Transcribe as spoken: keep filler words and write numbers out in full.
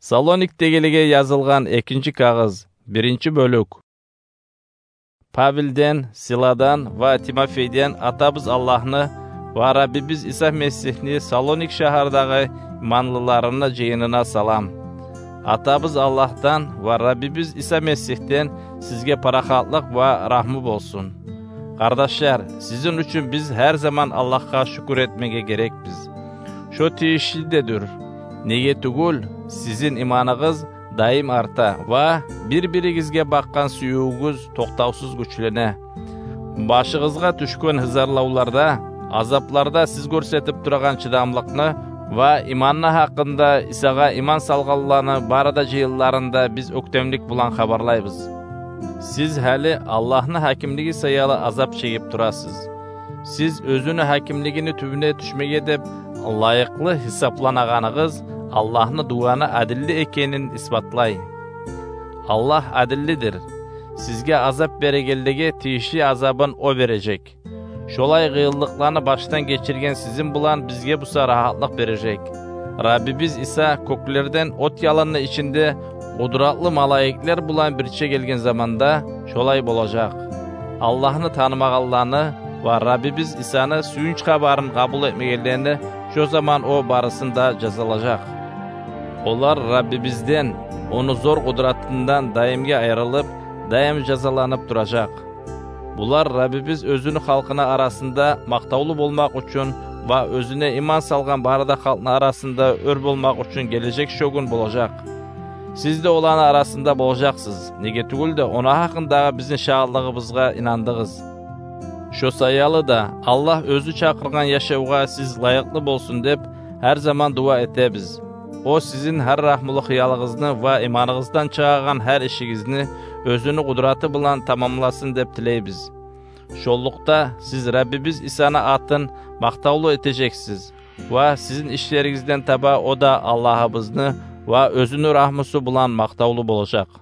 Салоникдегилеге язылгъан экинчи кагъыз, биринчи бёлюк. Павелден, Силадан ва Тимофейден атабыз Аллагьны ва Раббибиз Иса Месигьни Салоник шагьардагъы иманлыларыны жыйынына салам. Атабыз Аллагьдан ва Раббибиз Иса Месигьден сизге парахатлыкъ ва рагьму болсун. Къардашлар, сизин учун биз гьар заман Аллагьгъа шюкюр этмеге герекбиз. Шо тийишли де дюр. Неге тюгюл, сизин иманыгъыз даим арта ва бир-биригизге бакъгъан сюювюгюз токътавсуз гючлене. Башыгъызгъа тюшген гьызарлавларда, азапларда сиз гёрсетип турагъан чыдамлыкъны ва иманны гьакъында Исагъа иман салгъанланы бары да жыйынларында биз оьктемлик булан хабарлайбыз. Сиз гьали Аллагьны гьакимлиги саялы азап чегип турасыз. Сиз оьзюню гьакимлигини тюбюне тюшмеге деп лайыкълы гьисапланагъаныгъыз Аллагьны дуваны адилли экенин исбатлай. Аллагь адиллидир. Сизге азап берегенлеге тийишли азабын о бережек. Шолай къыйынлыкъланы башдан гечирген сизин булан бизге буса рагьатлыкъ бережек. Раббибиз Иса кёклерден от ялынны ичинде къудратлы малайиклер булан бирче гелген заманда шолай болажакъ. Аллагьны танымагъанланы ва Раббибиз Исаны сююнч хабарын къабул этмегенлени шо заман о барысын да жазалажакъ. Олар Раббибизден, ону зор къудратындан даимге айрылып, даим жазаланып туражакъ. Булар Раббибиз оьзюню халкъыны арасында макътавлу болмакъ учун ва оьзюне иман салгъан бары да халкъны арасында оьр болмакъ учун гележек шо гюн болажакъ. Сиз де оланы арасында болажакъсыз, неге тюгюл де ону гьакъындагъы бизин шагьатлыгъыбызгъа инандыгъыз. Шо саялы да Аллагь оьзю чакъыргъан яшавгъа сиз лайыкълы болсун деп гьар заман дуа этебиз. О сизин гьар рагьмулу хыялыгъызны ва иманыгъыздан чыгъагъан гьар ишигизни оьзюню къудраты булан тамамласын деп тилейбиз. Шоллукъда сиз Раббибиз Исаны атын макътавлу этежексиз ва сизин ишлеригизден таба о да Аллагьыбызны ва оьзюню рагьмусу булан макътавлу болажакъ.